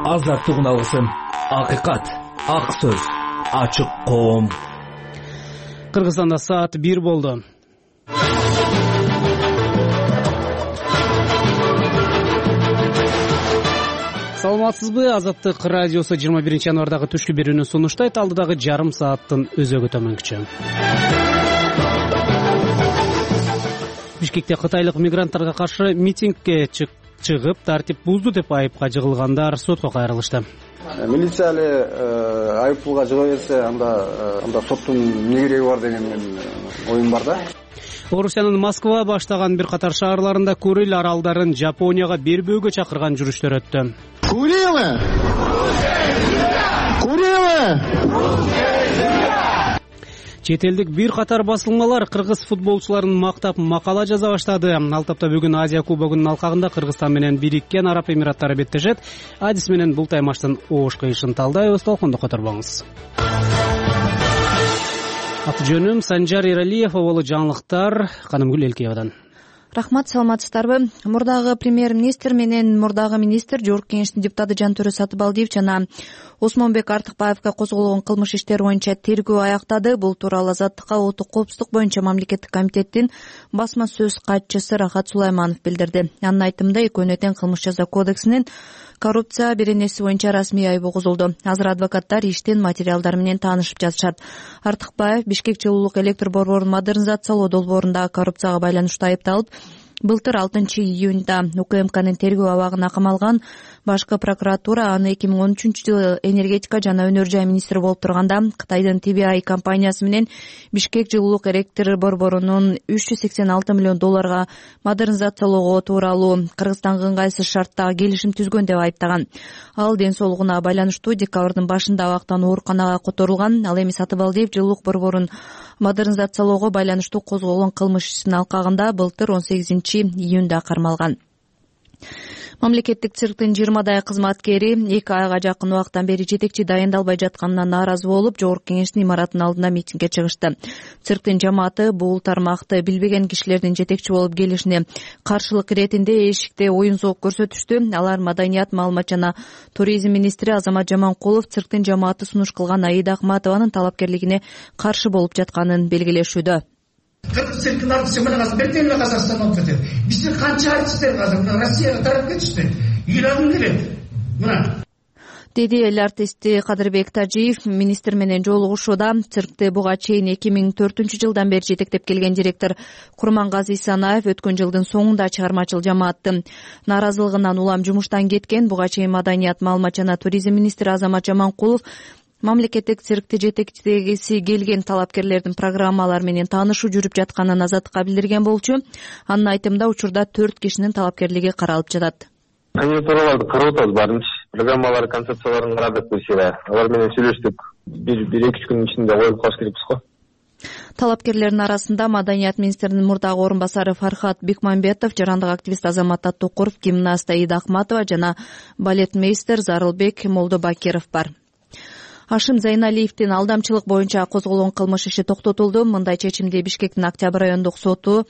азаттыгын алсын. Акыйкат, ак сөз, ачык коом. Кыргызстанда саат 1 болду. Саламатсызбы? Азаттык радиосу 21 январдагы түшкү берүүнү сунуштайт. Алдыдагы жарым сааттын өзөгү төмөнкүчө. Бишкекте кытайлык мигранттарга каршы митингге чыгып, тартип бузду деп айыпка жыгылгандар сотко кайрылышты. Милиция айыппулга жыга берсе, анда соттун эмне кереги бар деген оюм бар да. Орусиянын Москва баштаган бир катар шаарларында Курил аралдарын Жапонияга бербөөгө чакырган жүрүштөр өттү. Курилы! Чет элдик бир катар басылмалар кыргыз футболчуларын мактап макала жаза баштады. Ал тапта бүгүн Азия кубогунун алкагында Кыргызстан менен Бириккен Араб Эмираттары беттешет. Адис менен бул таймаштын оош кыйышын талдайбыз. Толкондо которбоңуз. Аты жөнүм Санжар Эралиев, болу жаңылыктар Канымгүл Элкеевадан. Рахмат, саламатсыздарбы? Мурдагы премьер-министр менен мурдагы министр Жогорку Кеңештин депутаты Жантөрө Сатыбалдиев жана Осмонбек Артыкбаевга козголгон кылмыш иштери боюнча тергөө аяктады. Бул тууралуу Азаттыкка улуттук коопсуздук боюнча мамлекеттик комитеттин басма сөз катчысы Рахат Сулайманов билдирди. Анын айтымында экөөнү тең кылмыш жаза кодексинин коррупция беренеси боюнча расмий айыбы козулду. Азыр адвокаттар иштин материалдары менен таанышып жатышат. Артыкбаев Бишкек жылуулук электр борборун модернизациялоо долбоорунда коррупцияга байланыштуу айыпталып, былтыр 6 июнда УКМКнын тергөө абагына камалган. Башкы прокуратура аны 2013-жылы энергетика жана өнөр жай министри болуп турганда Кытайдын TBI компаниясы менен Бишкек жылуулук электр борборунун 386 миллион долларга модернизациялоого тууралуу Кыргызстанга ыңгайсыз шарттагы келишим түзгөн деп айыптаган. Ал ден соолугуна байланыштуу декабрдын башында абактан ооруканага которулган. Ал эми Сатыбалдиев жылуулук борборун модернизациялоого байланыштуу козголгон кылмыш ишинин алкагында былтыр 18 июнда кармалган. Мамлекеттик цирктин 20 кызматкери 2 айга жакын убакыттан бери жетекчи дайындалбай жатканына нааразы болуп, Жогорку Кеңештин имаратынын алдына митингге чыгышты. Цирктин жамааты бул тармакты билбеген кишилердин жетекчи болуп келишине каршылык иретинде эшикте оюн зоок көрсөтүштү. Алар Маданият, маалымат жана туризм министри Азамат Жаманкулов цирктин жамааты сунуш кылган Аида Акматованын талапкерлигине каршы болуп жатканын белгилешүүдө. Кыргыз цирктин артисти менен азыр бертен эле Казакстан болуп кетет. Биздин канча артисттер азыр Россияга тарап кетишти. Ыйлагым келет. Мына деди эл артисти Кадырбек Тажиев министр менен жолугушууда. Циркти буга чейин 2004-жылдан бери жетектеп келген директор Курмангази Исанаев өткөн жылдын соңунда чыгармачыл жамааттын нааразылыгынан улам жумуштан кеткен. Буга чейин Маданият, маалымат жана туризм министри Азамат Жаманкулов мамлекеттик циркти жетектегиси келген талапкерлердин программалары менен таанышуу жүрүп жатканын Азаттыкка билдирген болчу. Анын айтымында учурда 4 кишинин талапкерлиги каралып жатат. Кандидатураларды карап атабыз баарынчы. Программалар, концепцияларын карадык бирсе. Алар менен сүйлөштүк. 1-2 күн ичинде коюп калыш керекпиз го. Талапкерлердин арасында Маданият министринин мурдагы орун басары Фархат Бекмамбетов, жарандык активист Азамат Таттукуров, гимнаст Аида Акматова жана балетмейстер Зарылбек Молдобакиров бар. Ашим Зайналиевдин алдамчылык боюнча козголгон кылмыш иши токтотулду. Мындай чечимди Бишкектин Октябрь райондук соту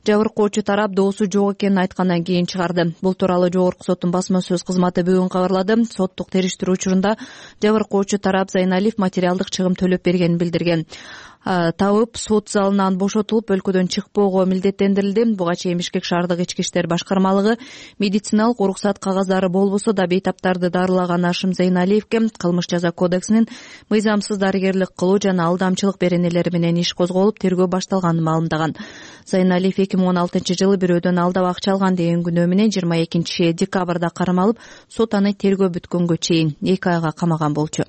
жабыркоочу тарап доосу жок экенин айткандан кийин чыгарды. Бул тууралуу Жогорку соттун басма сөз кызматы бүгүн кабарлады. Соттук териштирүү учурунда жабыркоочу тарап Зайналиев материалдык чыгым төлөп бергенин билдирген. Табып сот залынан бошотулуп өлкөдөн чыкпоого милдеттендирилди. Буга чейин Бишкек шаардык ички иштер башкармалыгы медициналык уруксат кагаздары болбосо да бейтаптарды дарылаган Ашим Зайналиевке кылмыш жаза кодексинин мыйзамсыз дарыгерлик кылуу жана алдамчылык беренелери менен иш козголуп, тергөө башталганын маалымдаган. Зайналиев 2016-жылы бирөөдөн алдап акча алган деген күнөө менен 22 декабрда кармалып, сот аны тергөө бүткөнгө чейин 2 айга камаган болчу.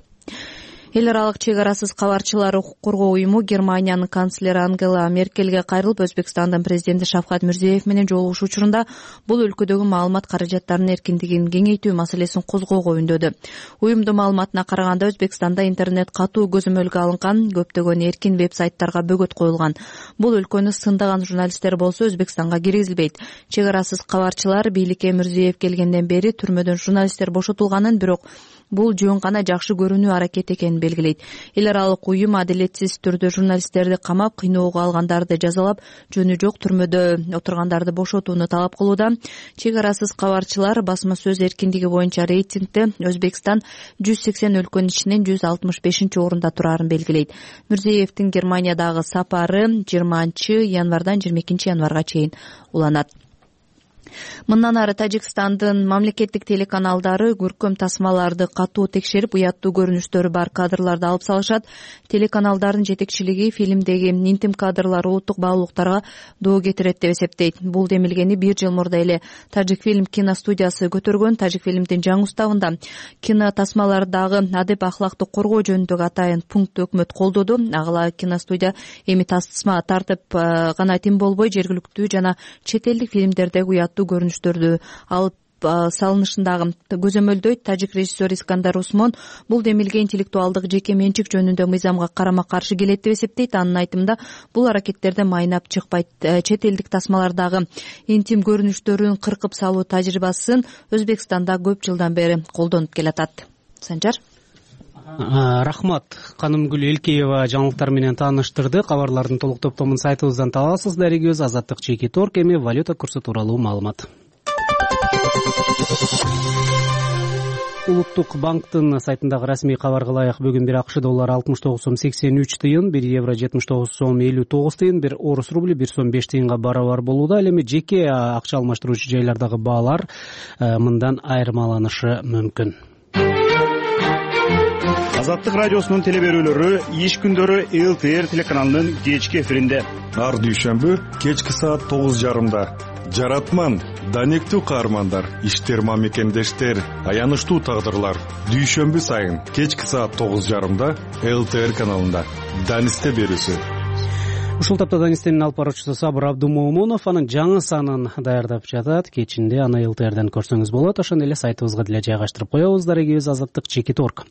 Эл аралык чек арасыз кабарчылар укук коргоо уюму Германиянын канцлери Ангела Меркельге кайрылып, Өзбекстандын президенти Шавкат Мирзиеев менен жолугушуу учурунда бул өлкөдөгү маалымат каражаттарынын эркиндигин кеңейтүү маселесин козгоого үндөдү. Уюмдун маалыматына караганда, Өзбекстанда интернет катуу көзөмөлгө алынган, көптөгөн эркин веб-сайттарга бөгөт коюлган. Бул өлкөнү сындаган журналисттер болсо Өзбекстанга киргизилбейт. Чек арасыз кабарчылар бийликке Мирзиеев келгенден бери түрмөдөн журналисттер бошотулганын, бирок бул жөн гана жакшы көрүнүү аракет экенин белгилейт. Эл аралык уюм адилетсиз түрдө журналисттерди камап, кыйноого алгандарды жазалап, жөнү жок түрмөдө отургандарды бошотууну талап кылууда. Чек арасыз кабарчылар басма сөз эркиндиги боюнча рейтингде Өзбекстан 180 өлкөнүн ичинен 165-орунда турарын белгилейт. Мирзиевдин Германиядагы сапары 20-январдан 22-январга чейин уланат. Мындан ары Тажикстандын мамлекеттик телеканалдары көркөм тасмаларды катуу текшерип, уяттуу көрүнүштөрү бар кадрларды алып салышат. Телеканалдардын жетекчилиги фильмдеги интим кадрлар улуттук баалуулуктарга доо кетирет деп эсептейт. Бул демилгени 1 жыл мурда эле Тажикфильм киностудиясы көтөргөн. Тажикфильмдин жаңы уставында кино тасмалардагы адеп ахлакты коргоо жөнүндөгү атайын пунктты өкмөт колдоду. Агыла киностудия эми тасма тартып гана тим болбой, жергиликтүү жана чет элдик фильмдердеги уяттуу көрүнүштөрдү алып салынышындагы көзөмөлдөйт. Тажик режиссер Искандар Усмон бул демилге интеллектуалдык жеке менчик жөнүндө мыйзамга карама каршы келет деп эсептейт. Анын айтымында бул аракеттерде майнап чыкпайт. Чет элдик тасмалардагы интим көрүнүштөрүн кыркып салуу тажрыйбасын Өзбекстанда көп жылдан бери колдонуп келатат. Санжар. Рахмат. Канымгүл Элкеева жаңылыктар менен тааныштырды. Кабарлардын толук топтомун сайтыбыздан табасыз. Дарегиз Азаттык Чеки Торг, эми валюта курсу тууралуу маалымат. Улуттук банктын сайтындагы расмий кабарга ылайык бүгүн бир АКШ доллары 69,83 тыйын, 1 евро 79,59 тыйын, 1 орус рубли 1 сом 5 тыйынга барабар болууда. Ал эми жеке акча алмаштыруучу жайлардагы баалар мындан айырмаланышы мүмкүн. Азаттык радиосунун теле берүүлөрү иш күндөрү ЛТР телеканалынын кечки эфиринде. Ар дүйшөмбү кечки саат 9:30. Жаратман, данектүү каармандар, иштер мамекендештер, аянычтуу тагдырлар. Дүйшөмбү сайын кечки саат 9:30 ЛТР каналында. Данисте берүүсү. Ушул тапта Данистенин алып баруучусу Сабыр Абдумомунов анын жаңы санын даярдап жатат. Кечинде аны ЛТРден көрсөңүз болот. Ошондой эле сайтыбызга деле жайгаштырып коебуз. Дарегибиз Азаттык Чеки Торг.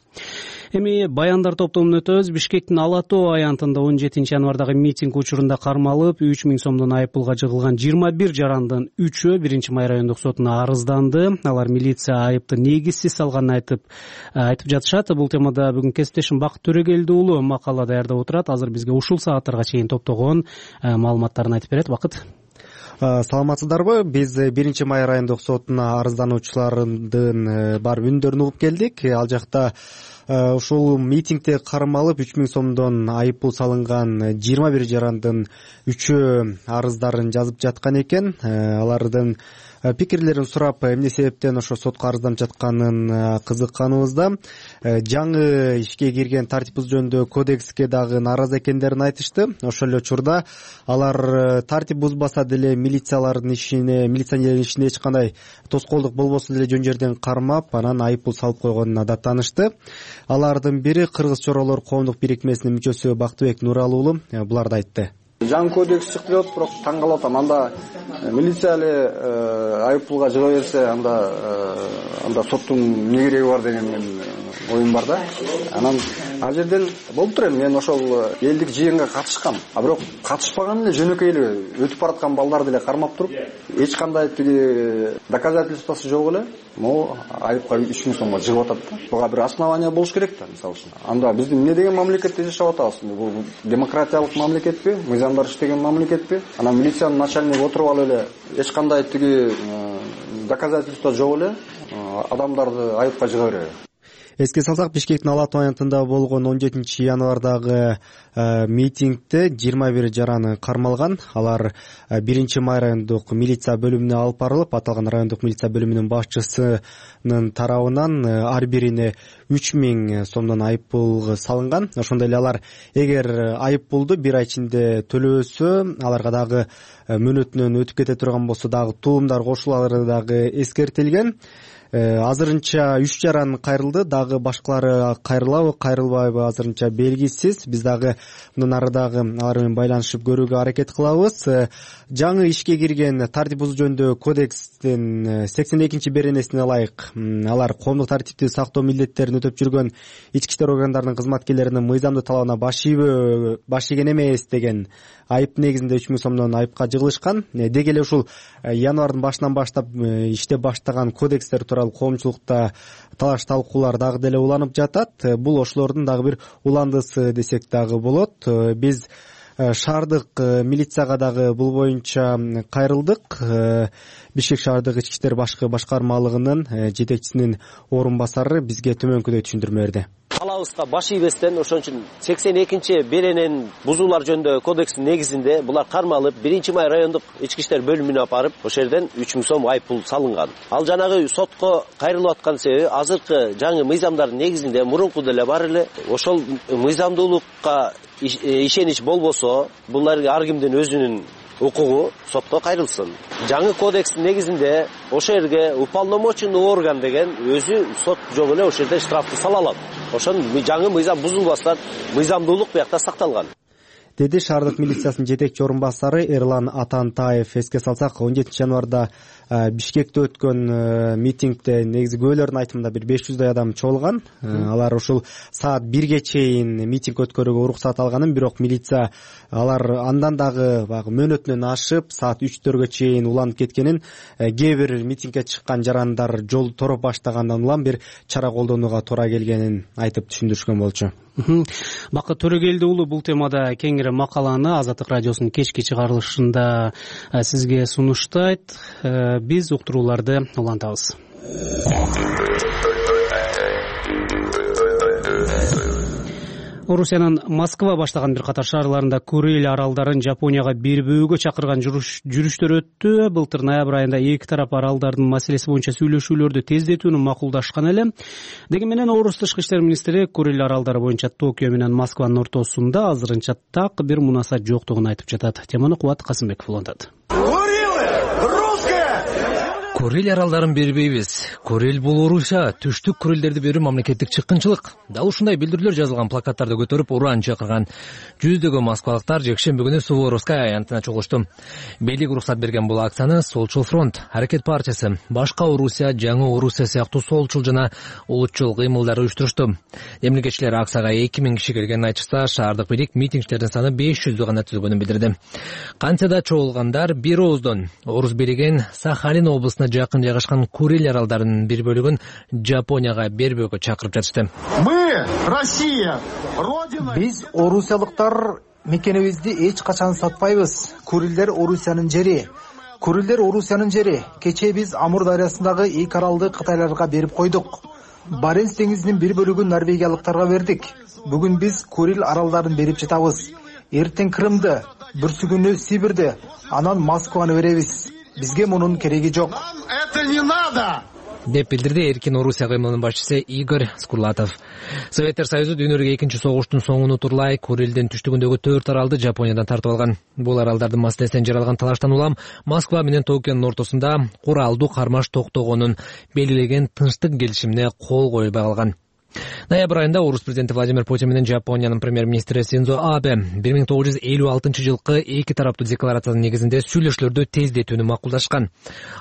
Эми баяндар топтомун өтөбүз. Бишкектин Ала Тоо аянтында 17 январдагы митинг учурунда кармалып 3000 сомдон айыппулга жыгылган 21 жарандын 3-өө 1-май райондук сотуна арызданды. Алар милиция айыпты негизсиз салганын айтып жатышат. Бул темада бүгүн кесиптешим Бакыт Төрөгелди уулу макала даярдап отурат. Азыр бизге ушул сааттарга чейин топтогон маалыматтарын айтып берет. Бакыт. Саламатсыздарбы? Биз 1-май райондук сотуна арыздануучулардын бар үндөрүн угуп келдик. Ал жакта ушул митингде кармалып 3000 сомдон айыппул салынган 21 жарандын 3-өө арыздарын жазып жаткан экен. Алардын пикирлерин сурап, эмне себептен ошо сотко арызданып жатканын кызыкканыбызда жаңы ишке кирген тартип бузуу жөнүндө кодекске дагы нааразы экендерин айтышты. Ошол эле учурда алар тартип бузбаса деле милициянын ишине эч кандай тоскоолдук болбосун деле жөн жерден кармап, анан айыппул салып койгонуна даттанышты. Алардын бири Кыргыз Чоролор коомдук бирикмесинин мүчөсү Бактыбек Нуралы уулу буларды айтты. Жаңы кодекс чыкты деп, бирок таң калып атам. Анда милиция эле айыппулга жыга берсе, анда соттун эмне кереги бар деген мен оюм бар да. Анан ал жерден болуп тур эми мен ошол элдик жыйынга катышкам. Бирок катышпаган эле жөнөкөй эле өтүп бараткан балдарды эле кармап туруп, эч кандай тиги доказательствосы жок эле могу айыпка 3000 сомго жыгып атат да. Буга бир основание болуш керек да, мисалы үчүн. Анда биз эмне деген мамлекетте жашап атабыз? Бул демократиялык мамлекетпи? Мыйзамдар иштеген мамлекетпи? Анан милициянын начальниги отуруп алып эле эч кандай тиги доказательство жок эле адамдарды айыпка жыга береби? Эске салсак, Бишкектин Ала Тоо аянтында болгон 17 январдагы митингде 21 жараны кармалган. Алар 1-май райондук милиция бөлүмүнө алып барылып, аталган райондук милиция бөлүмүнүн башчысынын тарабынан ар бирине 3000 сомдон айыппул салынган. Ошондой эле алар эгер айыппулду 1 ай ичинде төлөбөсө, аларга дагы мөөнөтүнөн өтүп кете турган болсо дагы туумдар кошулары дагы эскертилген. Азырынча 3 жаран кайрылды, дагы башкалары кайрылабы, кайрылбайбы азырынча белгисиз. Биз дагы мындан ары дагы алар менен байланышып көрүүгө аракет кылабыз. Жаңы ишке кирген тартип бузуу жөнүндө кодекстин 82-беренесине ылайык алар коомдук тартипти сактоо милдеттерин өтөп жүргөн ички иштер органдарынын кызматкерлеринин мыйзамдуу талабына баш ийген эмес деген айып негизинде 3000 сомдон айыпка жыгылышкан. Деги эле ушул январдын башынан баштап иштеп баштаган кодекстер тууралуу аралык коомчулукта талаш талкуулар дагы деле уланып жатат. Бул ошолордун дагы бир уландысы десек дагы болот. Биз шаардык милицияга дагы бул боюнча кайрылдык. Бишкек шаардык ички иштер башкармалыгынын жетекчисинин орун басары бизге төмөнкүдөй түшүндүрмө берди. Калабызга баш ийбестен ошон үчүн 82 беренен бузуулар жөнүндө кодекстин негизинде булар кармалып 1-май райондук ички иштер бөлүмүнө апарып ошол жерден 3000 сом айыппул салынган. Ал жанагы сотко кайрылып аткан себеби азыркы жаңы мыйзамдардын негизинде мурунку деле бар эле. Ошол мыйзамдуулукка ишенич болбосо булар ар кимдин өзүнүн укугу сотко кайрылсын. Жаңы кодекстин негизинде ошол жерге уполномоченный орган деген өзү сот жолу эле ошол жерде штрафты сала алат. Ошон жаңы мыйзам бузулбастан мыйзамдуулук биякта сакталган, деди шаардык милициясынын жетекчи орун басары Эрлан Атантаев. Эске салсак, 17 январда Бишкекте өткөн митингде негизи күбөлөрдүн айтымында бир 500 адам чогулган. Алар ушул саат 1ге чейин митинг өткөрүүгө уруксат алганын, бирок милиция алар андан дагы баягы мөөнөтүнөн ашып саат 3-4гө чейин уланып кеткенин, кээ бир митингге чыккан жарандар жолду тороп баштагандан улам бир чара колдонууга туура келгенин айтып түшүндүрүшкөн болчу. Бакыт Төрөгелди уулу бул темада кеңири макаланы Азаттык радиосунун кечки чыгарылышында сизге сунуштайт. Биз уктурууларды улантабыз. Орусиянын Москва баштаган бир катар шаарларында Курил аралдарын Жапонияга бербөөгө чакырган жүрүштөр өттү. Былтыр ноябрь айында эки тарап аралдардын маселеси боюнча сүйлөшүүлөрдү тездетүүнү макулдашкан эле. Деги менен Орус тышкы иштер министри Курил аралдары боюнча Токио менен Москванын ортосунда азырынча так бир мунасат жоктугун айтып жатат. Теманы Кубат Касымбеков улантат. Курил аралдарын бербейбиз. Курил бул Орусия, түштүк Курилдерди берүү мамлекеттик чыккынчылык. Дал ушундай билдирүүлөр жазылган плакаттарды көтөрүп уран чакырган жүздөгөн москвалыктар жекшемби күнү Суворовская аянтына чогулушту. Бийлик уруксат берген бул акцияны Солчул фронт, Аракет партиясы, Башка Орусия, Жаңы Орусия сыяктуу солчул жана улутчул кыймылдар уюштурушту. Эмгичилер акцияга 2000 киши келгенин айтышса, шаардык бийлик митингчилердин саны 500 гана түзүлгөнүн билдирди. Кантсе да чогулгандар бир ооздон Орус бийлигин Сахалин облусуна жакын жайгашкан Курил аралдарынын бир бөлүгүн Жапонияга бербөөгө чакырып жатышты. Мы, Россия, родина. Биз орусиялыктар мекенибизди эч качан сатпайбыз. Курилдер Орусиянын жери. Курилдер Орусиянын жери. Кечээ биз Амур дарыясындагы эки аралды Кытайларга берип койдук. Баренц деңизинин бир бөлүгүн норвегиялыктарга бердик. Бүгүн биз Курил аралдарын берип жатабыз. Эртең Крымды, бүрсүгүнү Сибирди, анан Москваны беребиз. Бизге мунун кереги жок. Это не надо! деп билдирди Эркин Орусия кыймылынын башчысы Игорь Скурлатов. Советтер Союзу дүйнөлүк экинчи согуштун соңуну турлай Курилдин түштүгүндөгү 4 аралды Жапониядан тартып алган. Бул аралдардын маселесинен жаралган талаштан улам Москва менен Токионун ортосунда куралдуу кармаш токтогонун белгилеген тынчтык келишимине кол коюлбай калган. Ноябрь айында Орус президенти Владимир Путин менен Жапониянын премьер-министри Синдзо Абе 1956 жылкы эки тараптуу декларациянын негизинде сүйлөшүүлөрдү тездетүүнү макулдашкан.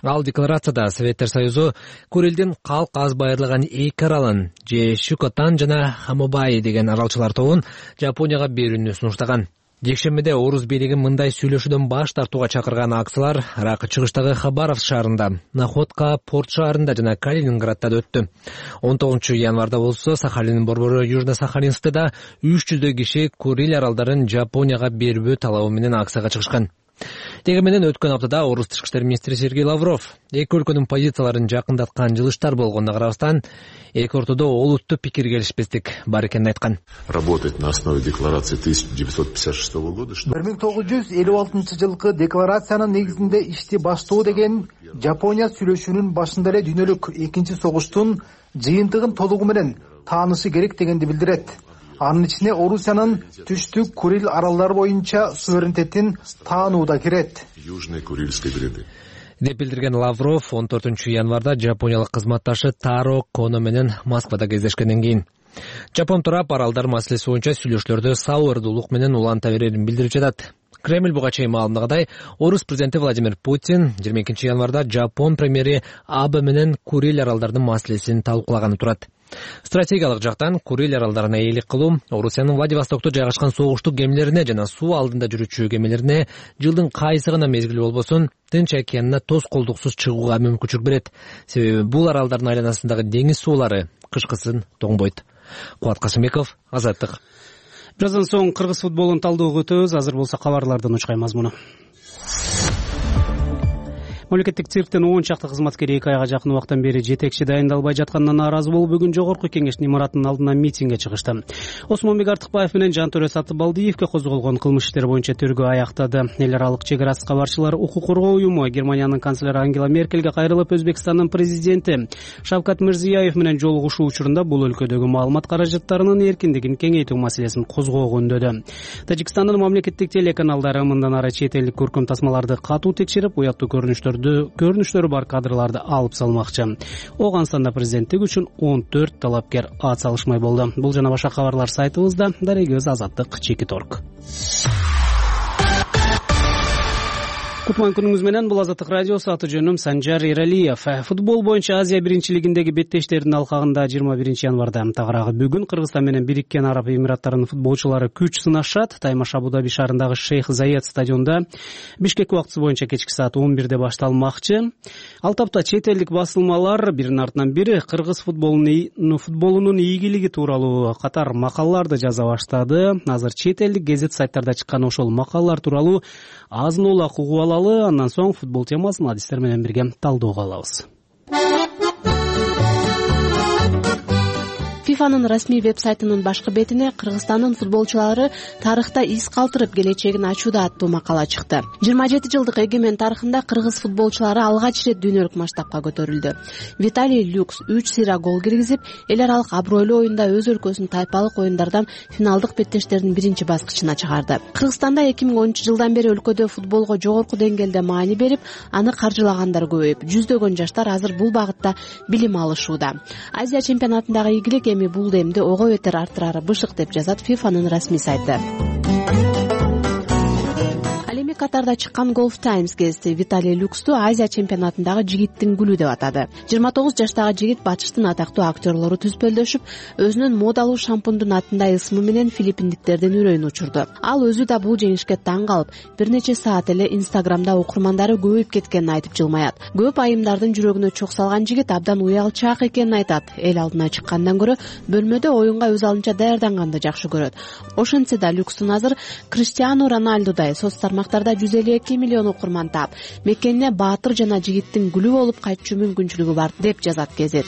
Ал декларацияда Советтер Союзу Курилдин калк аз байырлаган эки аралын же Шукотан жана Хамобаи деген аралчылар тобун Жапонияга берүүнү сунуштаган. Жекшембиде Орус бийлиги мындай сүйлөшүүдөн баш тартууга чакырган акциялар Ракы чыгыштагы Хабаровск шаарында, Находка порт шаарында жана Калининградда өттү. 19 январда болсо Сахалиндин борбору Южно-Сахалинскда 300 киши Курил аралдарын Жапонияга бербөө талабы менен акцияга чыгышкан. Деги менен өткөн аптада Орус тышкы иштер министри Сергей Лавров эки өлкөнүн позицияларын жакындаткан жылыштар болгонуна карабастан эки ортодо олуттуу пикир келишпестик бар экенин айткан. Работать на основе декларации 1956 года. 1956 жылкы декларациянын негизинде ишти баштоо деген Жапония сүйлөшүүнүн башында эле дүйнөлүк экинчи согуштун жыйынтыгын толугу менен таанышы керек дегенди билдирет. Анын ичине Орусиянын түштүк Курил аралдары боюнча суверенитетин таануу да кирет. Южные Курильские гряды. Деп билдирген Лавров 14 январда жапониялык кызматташы Таро Коно менен Москвада кездешкенден кийин Жапон тарап аралдар маселеси боюнча сүйлөшүүлөрдү сабырдуулук менен уланта берерин билдирип жатат. Кремль буга чейин маалымдагандай, орус президенти Владимир Путин 22 январда Жапон премьери Абе менен Курил аралдарынын маселесин талкуулаганы турат. Стратегиялык жактан Курил аралдарына ээлик кылуу Орусиянын Владивостокто жайгашкан согуштук кемелерине жана суу алдында жүрүүчү кемелерине жылдын кайсы гана мезгили болбосун Тынч океанына тоскоолдуксуз чыгууга мүмкүнчүлүк берет. Себеби бул аралдардын айланасындагы деңиз суулары кышкысын тоңбойт. Кубат Касымбеков, Азаттык. Бираздан соң кыргыз футболун талдоого өтөбүз. Азыр болсо кабарлардын учкай мазмуну. Мамлекеттик цирктин 10 чакты кызматкери 2 айга жакын убакыттан бери жетекчи дайындалбай жатканына нааразы болуп, бүгүн жогорку кеңештин имаратынын алдына митингге чыгышты. Осмонбек Артыкбаев менен Жантөрө Сатыбалдиевге козголгон кылмыш иштери боюнча тергөө аяктады. Эл аралык чек ара кабарчылар укук коргоо уюму Германиянын канцлери Ангела Меркельге кайрылып, Өзбекстандын президенти Шавкат Мирзиёев менен жолугушуу учурунда бул өлкөдөгү маалымат каражаттарынын эркиндигин кеңейтүү маселесин козгоого үндөдү. Тажикстандын мамлекеттик телеканалдары мындан ары чет элдик көркөм тасмаларды катуу текшерип, уяттуу көрүнүштөрү бар кадрларды алып салмакчы. Ооганстанда президенттик үчүн 14 талапкер ат салышмай болду. Бул жана башка кабарлар сайтыбызда. Дарегиз Азаттык /.org. Кутман күнүңүз менен, бул Азаттык радиосу, аты жөнүм Санжар Эралиев. Футбол боюнча Азия биринчилигиндеги беттештердин алкагында 21 январда тагыраагы бүгүн Кыргызстан менен Бириккен Араб Эмираттарынын футболчулары күч сынашат. Таймаш Абу Даби шаарындагы Шейх Заед стадионунда Бишкек убактысы боюнча кечки саат 11-де башталмакчы. Ал тапта чет элдик басылмалар биринин артынан бири кыргыз футболунун ийгилиги тууралуу катар макалаларды жаза баштады. Азыр чет элдик гезит сайттарда чыккан ошол макалалар тууралуу азын-улак угуп алалы. Андан соң футбол темасын адистер менен бирге талдоого алабыз. ФИФАнын расмий веб-сайтынын башкы бетине Кыргызстандын футболчулары тарыхта из калтырып келечегин ачууда аттуу макала чыкты. 27 жылдык эгемен тарыхында кыргыз футболчулары алгач ирет дүйнөлүк масштабка көтөрүлдү. Виталий Люкс 3 сыйра гол киргизип, эл аралык абройлуу оюнда өз өлкөсүнүн тайпалык оюндардан финалдык беттештердин биринчи баскычына чыгарды. Кыргызстанда 2010 жылдан бери өлкөдө футболго жогорку деңгээлде маани берип, аны каржылагандар көбөйүп, жүздөгөн жаштар азыр бул багытта билим алышууда. Азия чемпионатындагы ийгилик эми бул демди ого бетер арттырары бышык деп жазат ФИФАнын расмий сайты. Катарда чыккан Golf Times гезити Виталий Люксту Азия чемпионатындагы жигиттин гүлү деп атады. 29 жаштагы жигит батыштын атактуу актерлору түспөлдөшүп, өзүнүн модалуу шампундун атындай ысмы менен филиппиндиктердин үрөйүн учурду. Ал өзү да бул жеңишке таң калып, бир нече саат эле Инстаграмда окурмандары көбөйүп кеткенин айтып жылмаят. Көп айымдардын жүрөгүнө чок салган жигит абдан уялчаак экенин айтат. Эл алдына чыккандан көрө бөлмөдө оюнга өз алынча даярданганды жакшы көрөт. Ошентсе да Люкстун азыр Криштиану Роналдудай соц тармактарда 152 миллион окурман таап, мекенине баатыр жана жигиттин гүлү болуп кайтчу мүмкүнчүлүгү бар деп жазат гезит.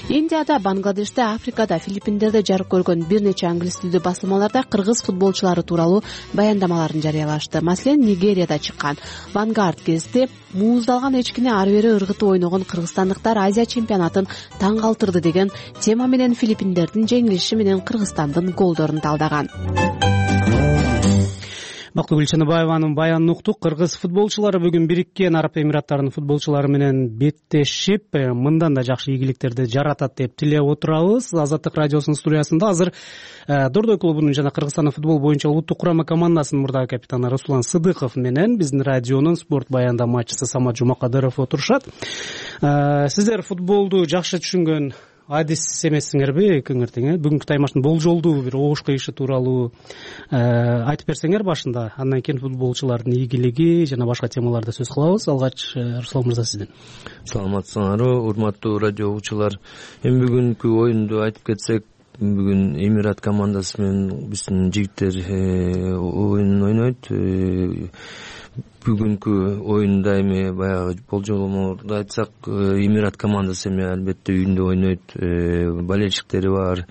Индияда, Бангладеште, Африкада, Филиппиндерде жарык көргөн бир нече англис тилдүү басылмаларда кыргыз футболчулары тууралуу баяндамаларын жарыялашты. Маселен, Нигерияда чыккан Vanguard гезити мууздалган эчкини ары бери ыргытып ойногон кыргызстандыктар Азия чемпионатын таң калтырды деген тема менен Филиппиндердин жеңилиши менен Кыргызстандын голдорун талдаган. Бактыгүл Гүлчаныбаеванын баянын уктук. Кыргыз футболчулары бүгүн Бириккен Араб Эмираттарынын футболчулары менен беттешип, мындан да жакшы ийгиликтерди жаратат деп тилеп отурабыз. Азаттык радиосунун студиясында азыр Дордой клубунун жана Кыргызстандын футбол боюнча улуттук курама командасынын мурдагы капитаны Руслан Сыдыков менен биздин радионун спорт баяндамачысы Самат Жумакадыров отурушат. Сиздер футболду жакшы түшүнгөн адис эмессиңерби экөөңөр тең? Бүгүнкү таймаштын болжолдуу бир огуш кыйышы тууралуу айтып берсеңер башында, андан кийин футболчулардын ийгилиги жана башка темаларды сөз кылабыз. Алгач Руслан мырза сизден. Саламатсыңарбы, урматтуу радио угуучулар. Эми бүгүнкү оюнду айтып кетсек, бүгүн Эмират командасы менен биздин жигиттер оюн ойнойт. Бүгүнкү оюнда эми баягы болжолдорду айтсак, Эмират командасы эми албетте үйүндө ойнойт, болельщиктери бар,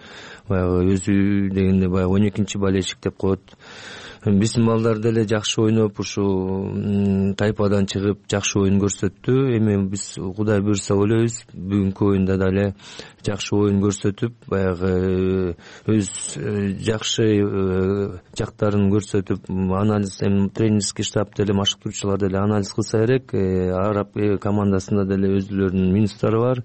баягы өзү дегенде баягы 12-чи болельщик деп коет. Биздин балдар деле жакшы ойноп, ушу тайпадан чыгып жакшы оюн көрсөттү. Эми биз Кудай буйрса ойлойбуз, бүгүнкү оюнда деле жакшы оюн көрсөтүп, баягы өз жакшы жактарын көрсөтүп, анализ, эми тренерский штаб деле, машыктыруучулар деле анализ кылса керек. Араб командасында деле өзүлөрүнүн минустары бар.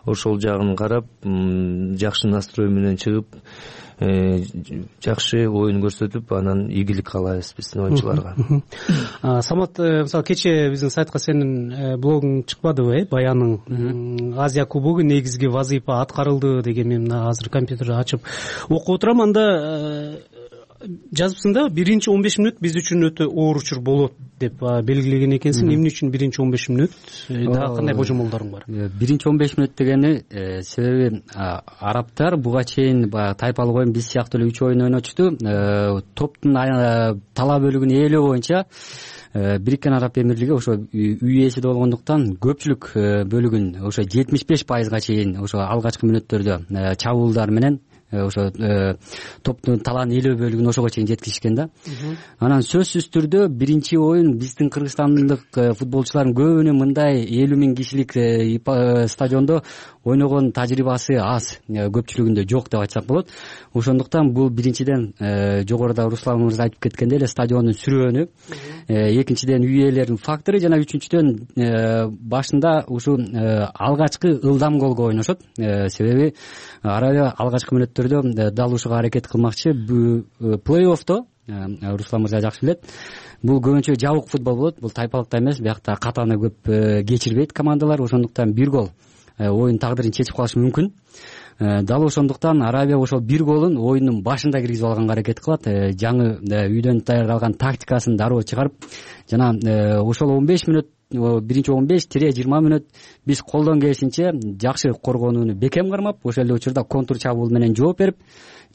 Ошол жагын карап, жакшы настрой менен чыгып, жакшы оюн көрсөтүп анан ийгилик каалайбыз биздин оюнчуларга. Самат, мисалы кечээ биздин сайтка сенин блогуң чыкпадыбы, баяның Азия кубогу негизги вазыйфа аткарылды деген. Мен мына азыр компьютерди ачып окуп отурам, анда жазыпсың да 1-15 мүнөт биз үчүн өтө оор учур болот деп белгилеген экенсиң. Эмне үчүн 1-15 мүнөт? Дагы кандай божомолдоруң бар? 1-15 мүнөт дегени себеби арабтар буга чейин баягы тайпалык оюн биз сыяктуу эле 3 оюн ойнотушту. Топтун тала бөлүгүн ээлөө боюнча Бириккен Араб Эмирлиги ошо үй ээси болгондуктан көпчүлүк бөлүгүн ошо 75%га чейин ошо алгачкы мүнөттөрдө чабуулдар менен ошо топтун талаанын ээлөө бөлүгүн ошого чейин жеткизишкен да. Анан сөзсүз түрдө биринчи оюн биздин кыргызстандык футболчулардын көбүнүн мындай 50 000 кишилик стадиондо ойногон тажрыйбасы аз, көпчүлүгүндө жок деп айтсак болот. Ошондуктан бул биринчиден жогоруда Руслан мырза айтып кеткендей эле стадиондун сүрөөнү, экинчиден үй ээлеринин фактору жана үчүнчүдөн башында ушу алгачкы ылдам голго ойношот. Себеби Арабия алгачкы мүнөттөрдө дал ушуга аракет кылмакчы. Плей-оффто Руслан мырза жакшы билет, бул көбүнчө жабык футбол болот. Бул тайпалыкта эмес, биякта катаны көп кечирбейт командалар. Ошондуктан бир гол оюн тагдырын чечип калышы мүмкүн. Дал ошондуктан Арабия ошол бир голун оюндун башында киргизип алганга аракет кылат. Жаңы үйдөн даярдалган тактикасын дароо чыгарып, жана ошол 15 мүнөт, биринчи 15-20 мүнөт биз колдон келишинче жакшы коргонууну бекем кармап, ошол эле учурда контур чабуул менен жооп берип,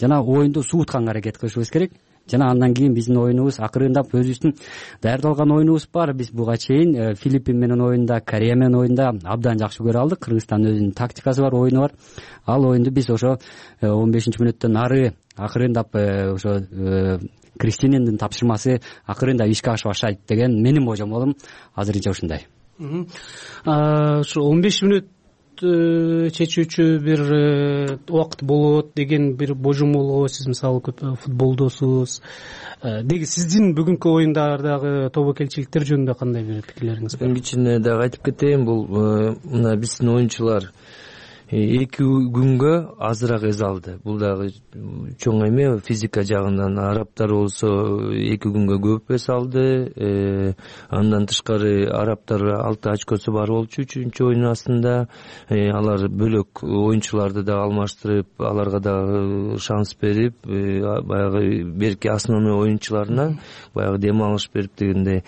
жана оюнду суутканга аракет кылышыбыз керек. Жана андан кийин биздин оюнубуз акырындап өзүбүздүн даярдалган оюнубуз бар. Биз буга чейин Филиппин менен оюнда, Корея менен оюнда абдан жакшы көрө алдык. Кыргызстандын өзүнүн тактикасы бар, оюну бар. Ал оюнду биз ошо 15-мүнөттөн ары акырындап ошо Кристинендин тапшырмасы акырындап ишке ашып баштайт деген менин божомолум азырынча ушундай. Ушу 15 мүнөт чечүүчү бир убакыт болот деген бир божомолго сиз мисалы көп футболдосуз. Деги сиздин бүгүнкү оюндардагы тобокелчиликтер жөнүндө кандай бир пикирлериңиз бар? Кичине дагы айтып кетейин, бул мына биздин оюнчулар 2 күнгө азыраак эс алды. Бул дагы чоң эме физика жагынан. Арабтар болсо 2 күнгө көп эс алды. Андан тышкары арабтар 6 очкосу бар болчу 3-чү оюн астында. Алар бөлөк оюнчуларды да алмаштырып, аларга да шанс берип, баягы берки основной оюнчуларына баягы дем алыш берип дегендей.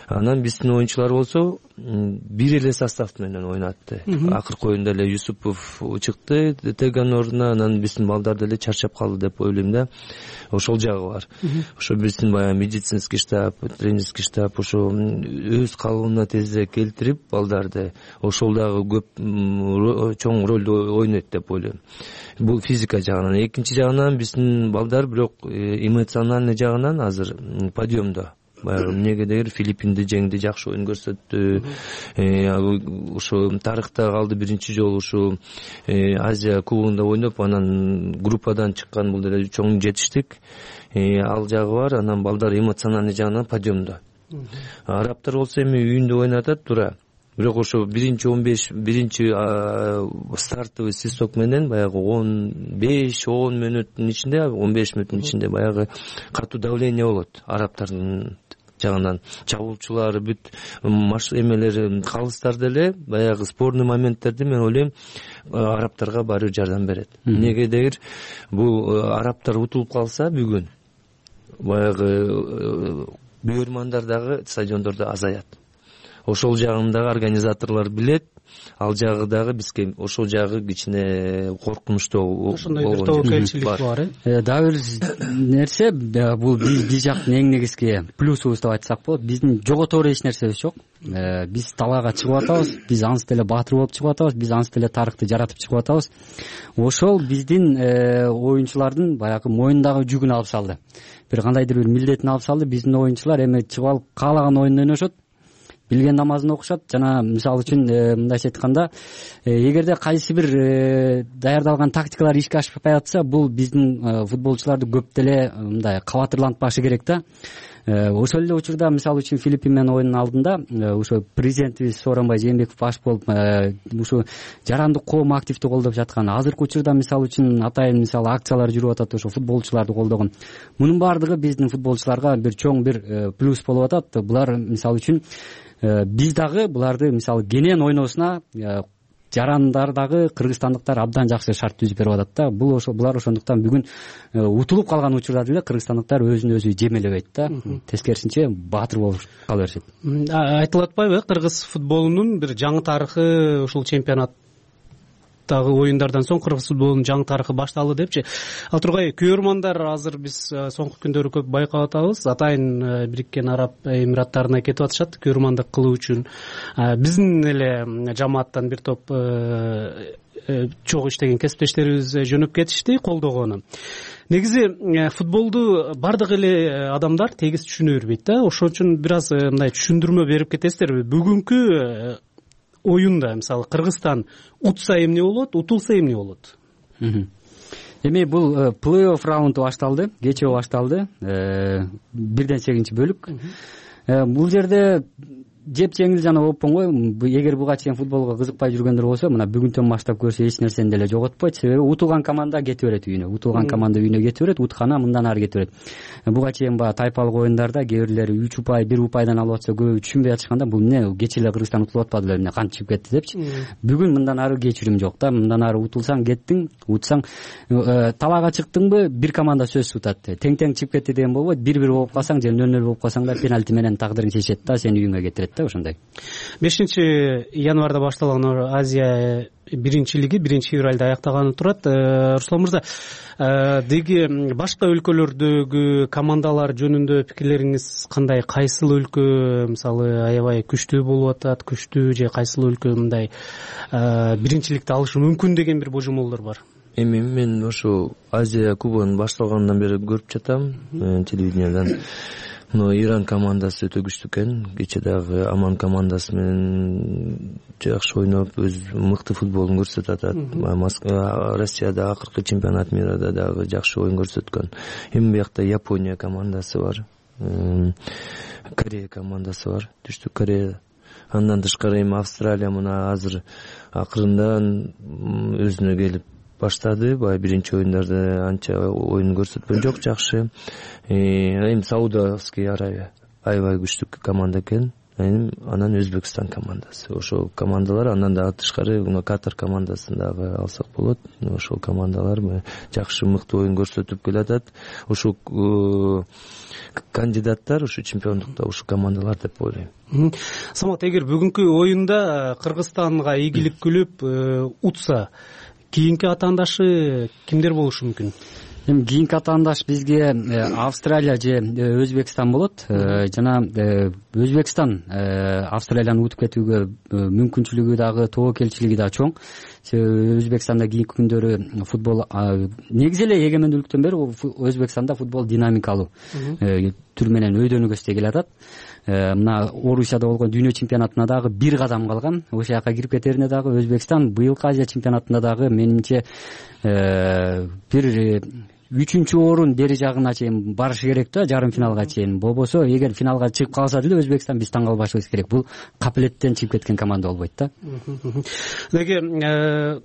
Анан биздин оюнчулар болсо бир эле состав менен ойнатты. Акыркы оюнда эле Юсупов чыкты Теган ордуна, анан биздин балдар деле чарчап калды деп ойлойм да. Ошол жагы бар. Ошо биздин баягы медицинский штаб, тренерский штаб ошо өз калыбына тезирээк келтирип балдарды, ошол дагы көп чоң ролду ойнойт деп ойлойм. Бул физика жагынан. Экинчи жагынан биздин балдар бирок эмоциональный жагынан азыр подъемдо. Баягы эмнегедир Филиппинди жеңди, жакшы оюн көрсөттү. Ошо тарыхта калды биринчи жолу ушу Азия кубогунда ойноп, анан группадан чыккан бул деле чоң жетиштик. Ал жагы бар. Анан балдар эмоциональный жагынан подъемдо. Арабтар болсо эми үйүндө ойнатат туура. Бирок ошо биринчи 15, биринчи стартовый свисток менен баягы 15-10 мүнөттүн ичинде, 15 мүнөттүн ичинде баягы катуу давление болот арабтардын жагынан. Чабуулчулар бүт эмелери, калыстар деле баягы спорный моменттерди мен ойлойм арабтарга баары бир жардам берет. Эмнегедир бул арабтар утулуп калса бүгүн баягы бүйөрмандар дагы стадиондордо азаят. Ошол жагын дагы организаторлор билет. Ал жагы дагы бизге ошол жагы кичине коркунучтуу. Ошондой бир тобокелчилик бар. Дагы бир нерсе, бул биз жактын эң негизги плюсубуз деп айтсак болот. Биздин жоготору эч нерсебиз жок. Биз талаага чыгып атабыз, биз ансы деле баатыр болуп чыгып атабыз, биз ансы деле тарыхты жаратып чыгып атабыз. Ошол биздин оюнчулардын баягы моюндагы жүгүн алып салды. Бир кандайдыр бир милдетин алып салды. Биздин оюнчулар эми чыгып алып каалаган оюнду ойношот. Билген намазын окушат. Жана мисалы үчүн мындайча айтканда, эгерде кайсы бир даярдалган тактикалар ишке ашпай атса, бул биздин футболчуларды көп деле мындай кабатырлантпашы керек да. ошол эле учурда мисалы үчүн Филиппин менен оюндун алдында ошо президентибиз Сооронбай Жээнбеков баш болуп ушу жарандык коом активдүү колдоп жаткан, азыркы учурда мисалы үчүн атайын мисалы акциялар жүрүп атат, ошо футболчуларды колдогон. Мунун баардыгы биздин футболчуларга бир чоң бир плюс болуп атат. Булар мисалы үчүн биз дагы буларды мисалы кенен ойносуна жарандар дагы кыргызстандыктар абдан жакшы шарт түзүп берип атат да. Булар ошондуктан бүгүн утулуп калган учурда деле кыргызстандыктар өзүн өзү жемелебейт да. Тескерисинче баатыр болуп кала беришет. Айтылып атпайбы, кыргыз футболунун бир жаңы тарыхы ушул чемпионаттагы оюндардан соң кыргыз футболунун жаңы тарыхы башталды депчи. Ал тургай күйөрмандар азыр биз соңку күндөрү көп байкап атабыз. Атайын Бириккен Араб Эмираттарына кетип атышат күйөрмандык кылуу үчүн. Биздин эле жамааттан бир топ чогуу иштеген кесиптештерибиз жөнөп кетишти колдогону. Негизи футболду бардык эле адамдар тегиз түшүнө бербейт да. Ошон үчүн бир аз мындай түшүндүрмө берип кетесиздерби? Бүгүнкү оюнда мисалы Кыргызстан утса эмне болот, утулса эмне болот? Эми бул плей-офф раунду башталды, кечээ башталды. 1-8 бөлүк. Бул жерде жеп жеңил жана ооппон го. Эгер буга чейин футболго кызыкпай жүргөндөр болсо, мына бүгүнтөн баштап көрсө эч нерсени деле жоготпойт. Себеби утулган команда кете берет үйүнө. Утулган команда үйүнө кете берет, уткана мындан ары кете берет. Буга чейин баягы тайпалык оюндарда кээ бирлери 3 упай, 1 упайдан алып атса, көбү түшүнбөй атышканда, бул эмне кечээ эле Кыргызстан утулуп атпады эле, эмне кантип чыгып кетти депчи. Бүгүн мындан ары кечирим жок да. Мындан ары утулсаң кеттиң, утсаң талаага чыктыңбы, бир команда сөзсүз утат. Тең-тең чыгып кетти деген болбойт. 1-1 болуп калсаң же 0-0 болуп калсаң да пенальти менен тагдырың чечет да, сени үйүңө кетирет да, ошондой. 5-январда башталган Азия биринчилиги 1-февралда аяктаганы турат. Руслан мырза, деги башка өлкөлөрдөгү командалар жөнүндө пикирлериңиз кандай? Кайсыл өлкө мисалы аябай күчтүү болуп атат, күчтүү же кайсыл өлкө мындай биринчиликти алышы мүмкүн деген бир божомолдор бар? Эми мен ошо Азия кубогунун башталгандан бери көрүп жатам телевидениядан. Иран командасы өтө күчтүү экен. Кечээ дагы Аман командасы менен жакшы ойноп, өз мыкты футболун көрсөтүп атат. Россияда акыркы чемпионат мирда дагы жакшы оюн көрсөткөн. Эми биякта Япония командасы бар, Корея командасы бар, Түштүк Корея. Андан тышкары эми Австралия мына азыр акырындан өзүнө келип баштады. Баягы биринчи оюндарда анча оюн көрсөткөн жок, жакшы. Эми Саудовский Аравия аябай күчтүү команда экен. Анан Өзбекстан командасы. Ошол командалар, андан да тышкары Катар командасын дагы алсак болот. Ошол командалар жакшы мыкты оюн көрсөтүп келатат. Ошол кандидаттар ушу чемпиондукта ушу командалар деп ойлойм. Самат, эгер бүгүнкү оюнда Кыргызстанга ийгилик күлүп утса, кийинки атаандашы кимдер болушу мүмкүн? Эми кийинки атаандаш бизге Австралия же Өзбекстан болот. Жана Өзбекстан Австралияны утуп кетүүгө мүмкүнчүлүгү дагы, тобокелчилиги дагы чоң. Себеби Өзбекстанда кийинки күндөрү футбол негизи эле эгемендүүлүктөн бери Өзбекстанда футбол динамикалуу түр менен өйдөнүгө өстөй келатат. Мына Орусияда болгон дүйнө чемпионатына дагы бир кадам калган. Ошол жака кирип кетерине дагы Өзбекстан быйылкы Азия чемпионатында дагы менимче бир 3-чү орун бери жагына чейин барышы керек да, жарым финалга чейин. Болбосо эгер финалга чыгып калса деле Өзбекстан биз таң калбашыбыз керек. Бул капилеттен чыгып кеткен команда болбойт да. Деги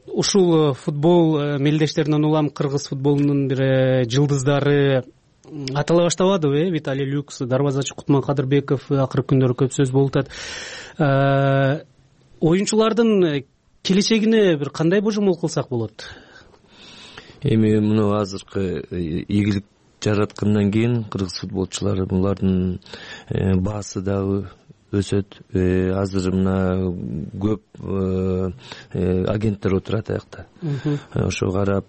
ушул футбол мелдештеринен улам кыргыз футболунун бир жылдыздары атала баштабадыбы? Виталий Люкс, дарбазачы Кутман Кадырбеков акыркы күндөрү көп сөз болуп атат. Оюнчулардын келечегине бир кандай божомол кылсак болот? Эми муну азыркы ийгилик жараткандан кийин кыргыз футболчулары булардын баасы дагы өсөт. Азыр мына көп агенттер отурат аякта. Ошо карап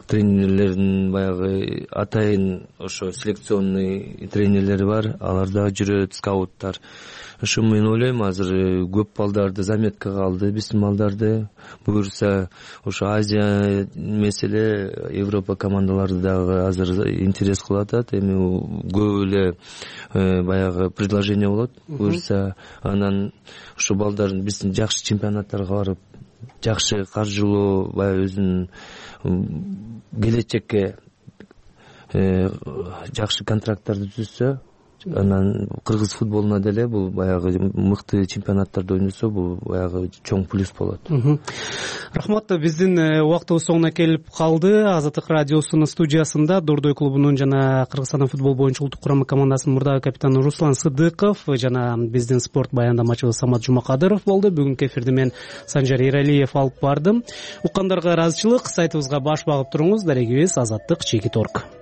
тренерлердин баягы атайын ошо селекционный тренерлери бар, алар дагы жүрөт, скауттар. Ошо мен ойлойм, азыр көп балдарды заметкага алды, биздин балдарды. Буюрса ошо Азия меселе Европа командалары дагы азыр интерес кылып атат. Эми көп эле баягы предложение болот. Буюрса анан ошо балдардын биздин жакшы чемпионаттарга барып, жакшы каржылоо, баягы өзүнүн келечекке жакшы контракттарды түзсө, анан кыргыз футболуна деле бул баягы мыкты чемпионаттарда ойносо, бул баягы чоң плюс болот. Рахмат. Биздин убактыбыз соңуна келип калды. Азаттык радиосунун студиясында Дордой клубунун жана Кыргызстандын футбол боюнча улуттук курама командасынын мурдагы капитаны Руслан Сыдыков жана биздин спорт баяндамачыбыз Самат Жумакадыров болду. Бүгүнкү эфирди мен Санжар Эралиев алып бардым. Уккандарга ыраазычылык. Сайтыбызга баш багып туруңуз. Дарегибиз Азаттык /org.